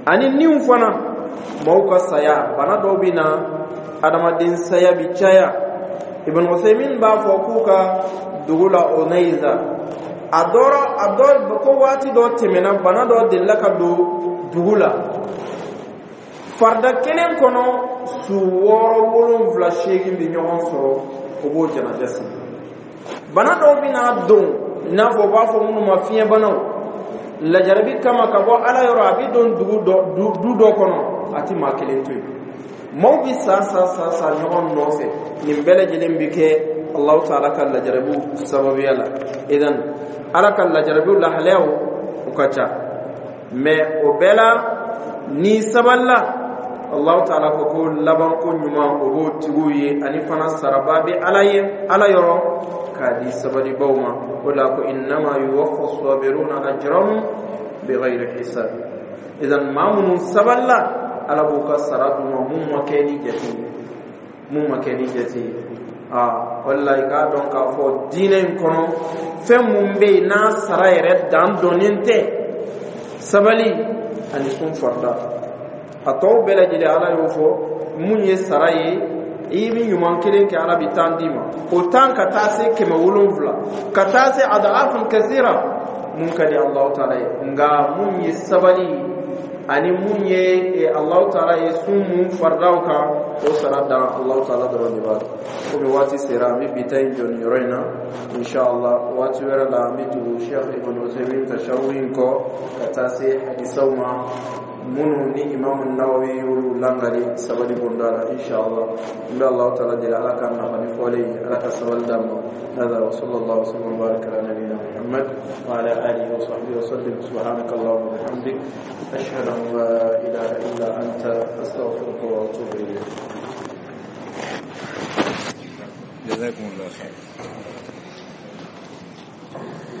ani niw fana, maaw ka saya. Bana dɔw bɛ na, adamaden saya bi caya. Ibn Usaymin b'a fɔ k'u ka dugu la Onayza, a dɔrɔ a dɔ ko waati dɔ tɛmɛna, bana dɔ delila ka don dugu la, farida kelen kɔnɔ, su wɔɔrɔ, wolonfila, seegin bɛ ɲɔgɔn sɔrɔ, o b'o janaja sigi. Bana dɔw bɛ na don, i n'a fɔ u b'a fɔ minnu ma fiɲɛbanaw, lajarabi kama ka bɔ Ala yɔrɔ, a bɛ don dugu dɔ, du dɔ kɔnɔ, a ti maa kelen to yen, maaw bɛ sa sa sa sa ɲɔgɔn nɔfɛ. Nin bɛɛ lajɛlen bɛ kɛ Alahu taala ka lajarabiw sababuya la. Idan Ala ka lajarabiw lahalayaw u ka ca, mɛ o bɛɛ la, ni sabalila, Alahu taala ko ko labanko ɲuman o b'o tigiw ye, ani fana saraba bɛ Ala ye, Ala yɔrɔ k'a di sabalibaw ma. O la ko innama yuwaffa sabiruna ajrahum bighayri hisab. Idan maa minnu sabalila, Ala b'u ka sara d'u ma mun ma kɛ ni jate ye, mun ma kɛ ni jate ye. Aa, o de la i k'a dɔn k'a fɔ diinɛ in kɔnɔ, fɛn mun bɛ yen n'a sara yɛrɛ dan dɔnnen tɛ, sabali ani sun farida. A tɔw bɛɛ lajɛlen, Ala y'o fɔ mun ye sara ye. I bɛ ɲuman kelen kɛ, Ala bɛ tan d'i ma, o tan ka taa se kɛmɛ wolonfila, ka taa se adafun kasira. Mun ka di Allahu taala ye, nka mun ye sabali ani mun ye Allahu taala ye sun mun faridaw kan, o sara dan Allahu taala dɔrɔn de b'a dɔn. Komi waati sera, an bɛ bi ta in jɔ nin yɔrɔ in na. Inshallah, waati wɛrɛ la, an bɛ tugu Sheikh Ibn Uthaymeen ka sharhu in kɔ ka taa se hadisaw ma minnu ni Imam Nawawi y'olu langali sabali bonda la, inshallah. N bɛ Allahu taala deli, Ala ka nafa ni fɔlen ye, Ala ka sabali d'an ma. هذا وصلى الله وسلم وبارك على نبينا محمد وعلى اله وصحبه وسلم. سبحانك اللهم وبحمدك، اشهد ان لا اله الا انت، استغفرك واتوب اليك. جزاكم الله خير.